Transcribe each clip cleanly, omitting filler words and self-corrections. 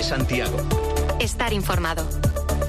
Santiago. Estar informado.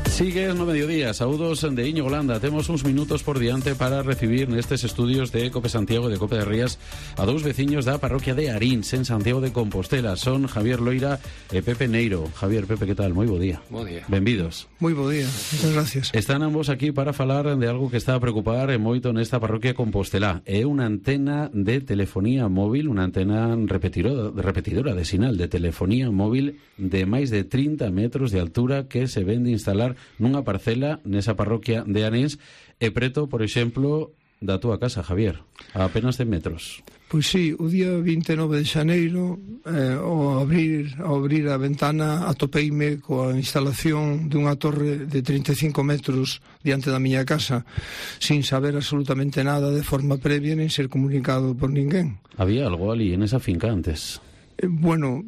Sigues no mediodía, saúdos de Íñigo Landa. Temos uns minutos por diante para recibir nestes estudios de Cope Santiago e de Cope de Rías a dous veciños da parroquia de Aríns, en Santiago de Compostela. Son Javier Loira e Pepe Neiro. Javier, Pepe, que tal? Moi bo día. Bo día. Benvidos. Moi bo día, moitas gracias. Están ambos aquí para falar de algo que está a preocupar moito nesta parroquia Compostela. É unha antena de telefonía móvil, unha antena repetidora de sinal de telefonía móvil de máis de 30 metros de altura que se vende instalar nunha parcela nesa parroquia de Aríns e preto, por exemplo, da túa casa, Javier, a apenas 100 metros. Pois sí, o día 29 de xaneiro, ao abrir a ventana, atopeime coa instalación dunha torre de 35 metros diante da miña casa, sin saber absolutamente nada de forma previa, nin ser comunicado por ninguén. Había algo ali en esa finca antes? Bueno,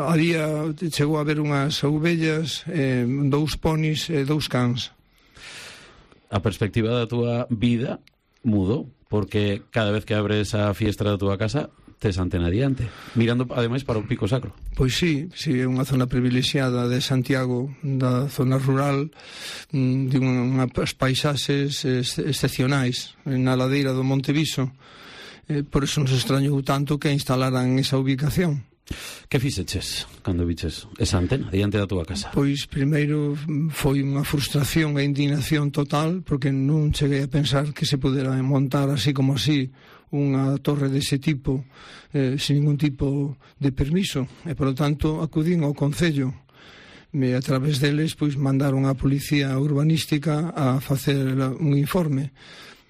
había, chegou a haber unhas ovellas, 2 ponis e 2 cans. A perspectiva da túa vida mudou, porque cada vez que abres a fiestra da túa casa tes antena adiante, mirando ademais para o Pico Sacro. Pois sí, é unha zona privilexiada de Santiago, da zona rural, de unhas paisaxes excepcionais na ladeira do Monte Viso. Por eso nos extrañou tanto que instalaran esa ubicación. Que fixeches cando viches esa antena diante da túa casa? Pois primeiro foi unha frustración e indignación total, porque non cheguei a pensar que se pudera montar así como así unha torre dese tipo sin ningún tipo de permiso, e por lo tanto acudín ao Concello e a través deles pois mandaron a Policía Urbanística a facer un informe.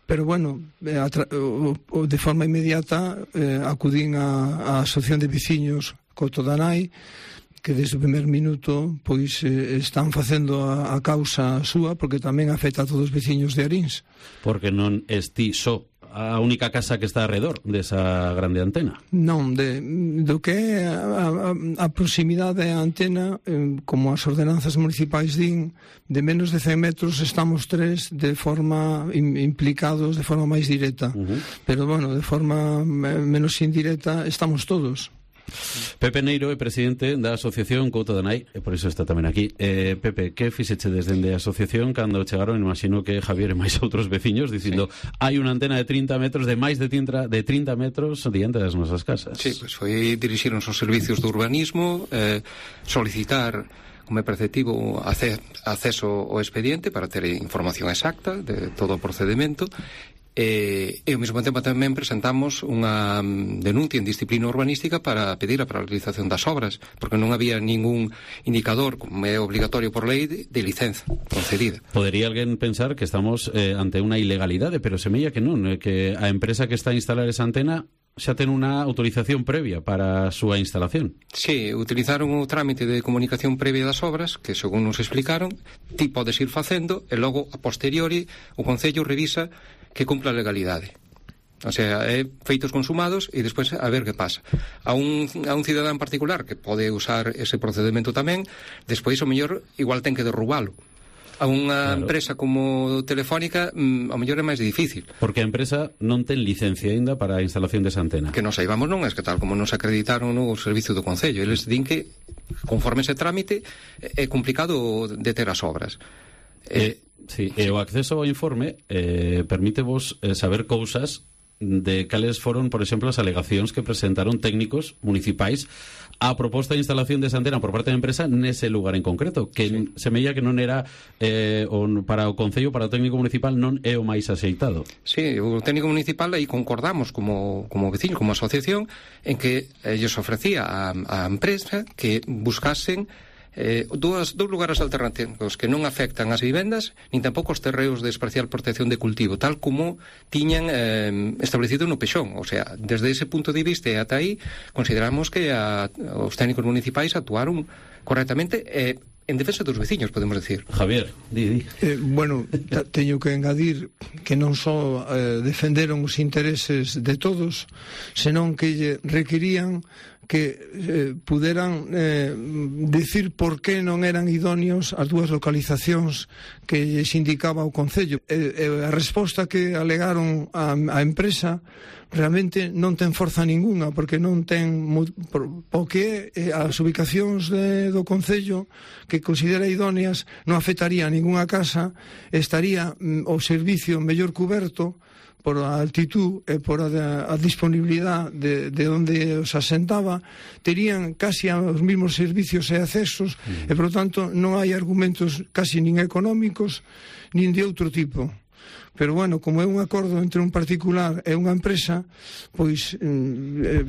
Pero bueno, de forma inmediata acudín á Asociación de Veciños Cotodanai, que desde o primer minuto pois están facendo a causa súa, porque tamén afecta a todos os veciños de Aríns. Porque non esti só a única casa que está alrededor desa grande antena. Non, do que é a proximidade á antena, como as ordenanzas municipais din, de menos de 100 metros estamos 3 de forma implicados de forma máis directa. Pero bueno, de forma menos indirecta estamos todos. Pepe Neiro é presidente da Asociación Cotodanai, e por iso está tamén aquí. Pepe, que fixeche desde a asociación cando chegaron, imagino que Javier e máis outros veciños, dicindo, hai unha antena de 30 metros, de máis de 30 metros diante das nosas casas? Sí, pois foi dirixirnos aos servicios de urbanismo, solicitar como é preceptivo acceso ao expediente para ter información exacta de todo o procedimento. E ao mesmo tempo tamén presentamos unha denuncia en disciplina urbanística para pedir a paralización das obras, porque non había ningún indicador, como é obligatorio por lei, de licenza concedida. Podería alguén pensar que estamos ante unha ilegalidade, pero semella que non, que a empresa que está a instalar esa antena xa ten unha autorización previa para a súa instalación. Sí, utilizaron o trámite de comunicación previa das obras, que según nos explicaron, ti podes ir facendo e logo a posteriori o Concello revisa que cumpla a legalidade. O sea, feitos consumados e despois a ver que pasa. A un cidadán particular que pode usar ese procedimento tamén, despois o mellor igual ten que derrubalo. A unha empresa como Telefónica ao mellor é máis difícil. Porque a empresa non ten licencia aínda para a instalación desa antena. Que non saibamos non, é que tal como nos acreditaron no servicio do Concello. Eles din que, conforme ese trámite, é complicado de ter as obras. Sí, e o acceso ao informe permítevos saber cousas de cales foron, por exemplo, as alegacións que presentaron técnicos municipais a proposta de instalación desa antena por parte da empresa nese lugar en concreto, que semella que non era para o Concello, para o técnico municipal non é o máis axeitado. Sí, o técnico municipal aí concordamos como veciño, como asociación, en que ellos ofrecía a empresa que buscasen dous lugares alternativos que non afectan as vivendas nin tampouco os terreos de especial protección de cultivo, tal como tiñan establecido no Pexón. O sea, desde ese punto de vista e ata aí consideramos que os técnicos municipais actuaron correctamente en defensa dos veciños, podemos decir. Javier, di. Bueno, teño que engadir que non só defenderon os intereses de todos, senón que requerían que puderan dicir por que non eran idóneos as dúas localizacións que lles indicaba o Concello. A resposta que alegaron a empresa realmente non ten forza ninguna, porque non ten o que as ubicacións do Concello que considera idóneas non afectaría a ningunha casa, estaría o servicio mellor cuberto por a altitud e por a disponibilidade de onde os asentaba, terían casi os mesmos servicios e accesos e, por lo tanto, non hai argumentos casi nin económicos nin de outro tipo. Pero, bueno, como é un acordo entre un particular e unha empresa, pois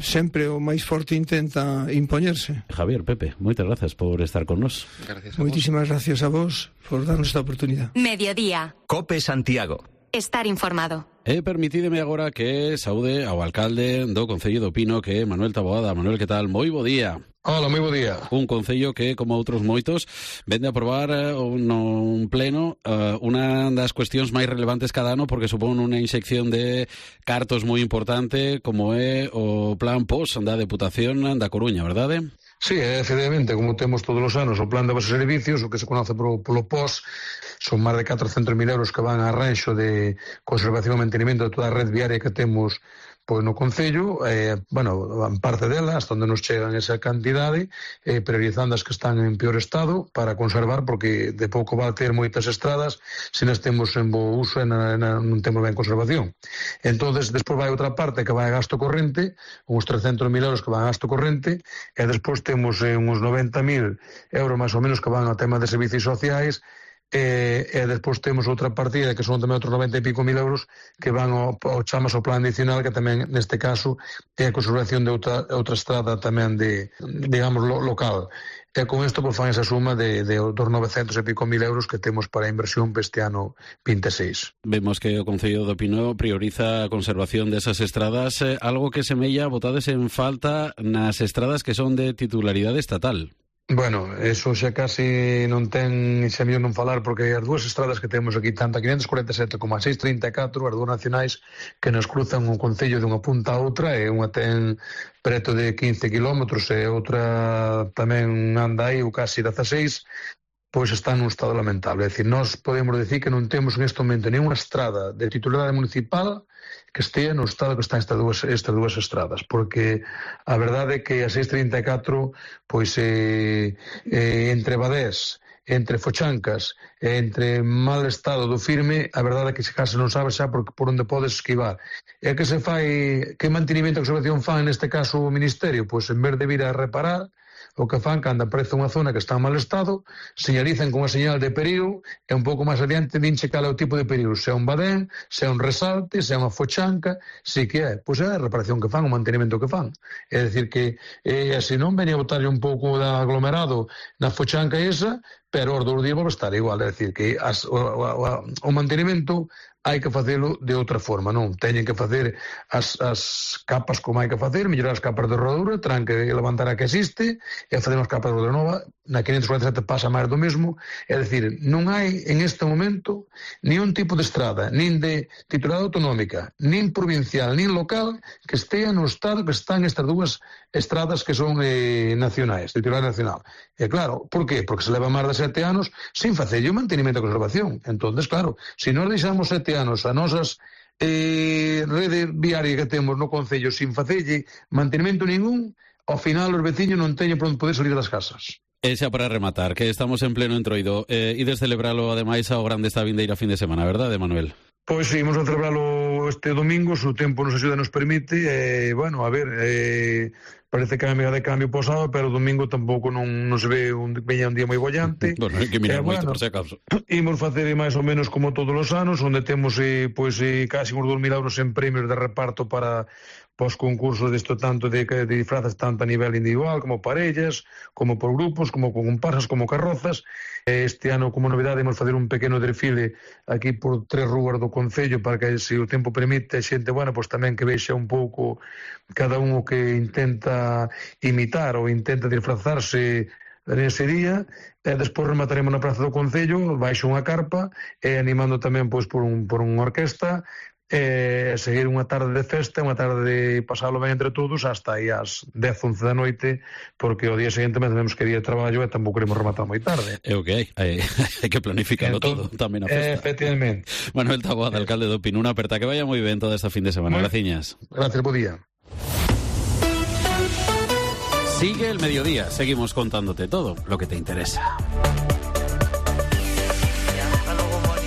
sempre o máis forte intenta impoñerse. Javier, Pepe, moitas gracias por estar con nos. Moitísimas gracias a vos por darnos esta oportunidade. Mediodía. COPE Santiago. Estar informado. Permitídeme agora que saúde ao alcalde do Concello do Pino, que é Manuel Taboada. Manuel, que tal? Moi bo día. Hola, moi bo día. Un concello que, como outros moitos, vende a aprobar un pleno unha das cuestións máis relevantes cada ano, porque supón unha inxección de cartos moi importante, como é o plan POS da Deputación da Coruña, verdade? Sí, efectivamente, como temos todos os anos o plan de bases e servicios, o que se conoce polo POS, son máis de 400.000 euros que van a arranxo de conservación e mantenimento de toda a red viaria que temos pois no Concello, en parte delas, onde nos chegan esa cantidade, priorizando as que están en peor estado para conservar, porque de pouco vai ter moitas estradas se nas temos en bo uso e non temos ben conservación. Entonces, despois vai outra parte que vai a gasto corrente, uns 300.000 euros que van a gasto corrente, e despois temos uns 90.000 euros máis ou menos que van ao tema de servicios sociais, e despois temos outra partida que son tamén outros 90 e pico mil euros que van ao chamas ao plan adicional, que tamén neste caso é a conservación de outra estrada tamén de, digamos, local. E con isto pues, fan esa suma de dos 900 e pico mil euros que temos para a inversión para este ano 26. Vemos que o Concello do Pino prioriza a conservación desas estradas, algo que semella botades en falta nas estradas que son de titularidade estatal. Bueno, eso xa casi non ten, xa mellor non falar, porque as dúas estradas que temos aquí, tanto a 547 como a 634, as dúas nacionais que nos cruzan o Concello de unha punta a outra, e unha ten preto de 15 kilómetros e outra tamén anda aí o casi 16, pois está nun estado lamentable. É dicir, nós podemos decir que non temos en este momento nenhuma estrada de titularidade municipal que estea no estado que están estas dúas estradas, porque a verdade é que a 634, pois entre Badés, entre Fochancas, entre mal estado do firme, a verdade é que se case non sabe xa por onde podes esquivar. E que se fai, que mantenimento e conservación fan neste caso o Ministerio? Pois en vez de vir a reparar, o que fan cando aparece unha zona que está en mal estado, señalizan con unha señal de perigo e un pouco máis adiante dinche cal é o tipo de perigo, se é un badén, se é un resalte, se é unha fochanca, se que é, pois é a reparación que fan, o mantenimento que fan. É dicir que, se non venía a botarlle un pouco de aglomerado na fochanca esa, pero os 2 días vai estar igual, é dicir que o mantenimento hai que facelo de outra forma, non? Teñen que facer as capas como hai que facer, mellorar as capas de rodadura, terán que levantar a que existe e facer as capas de rodadura nova. Na 547 pasa máis do mesmo, é dicir, non hai en este momento nin un tipo de estrada, nin de titularidade autonómica, nin provincial, nin local que estea no estado que están estas dúas estradas que son nacionais, titularidade nacional. E claro, por qué? Porque se leva máis de 7 anos sin facer o mantenimento e conservación. Entonces, claro, se nós deixamos 7 anos a nosas rede viaria que temos no Concello sin facerlle mantenimento ningún, ao final os veciños non teñen por onde poder salir das casas. E xa para rematar, que estamos en pleno entroido, ides celebralo ademais ao grande esta vindeira fin de semana, verdade, Manuel? Pois sí, imos a celebralo este domingo, se o tempo nos axuda e nos permite, bueno, a ver, parece que a amiga de cambio posado, pero o domingo tampouco non se ve veña un día moi bollante. Bueno, hai que mirar moito, por se acaso. Imos facer máis ou menos como todos os anos, onde temos casi uns 2.000 euros en premios de reparto para os concursos disto tanto de disfrazas, tanto a nivel individual como parellas, como por grupos, como con comparsas, como carrozas. Este ano, como novidade, imos fazer un pequeno desfile aquí por 3 rúas do Concello para que, se o tempo permite, a xente, bueno, pois tamén que vexa un pouco cada un o que intenta imitar ou intenta disfrazarse nese día. Despois remataremos na Praza do Concello baixo unha carpa, animando tamén pois por unha orquesta, seguir unha tarde de festa, unha tarde de pasalo ben entre todos hasta aí ás 10, 11 da noite, porque o día seguinte temos que ir de traballo e tampouco queremos rematar moi tarde. É o que hai que planificarlo todo, tamén a festa. Efectivamente. Manuel Taboada, alcalde do Pino, unha aperta, que vaya moi ben toda esta fin de semana. Graciñas. Gracias, bo día. Sigue el mediodía, seguimos contándote todo lo que te interesa.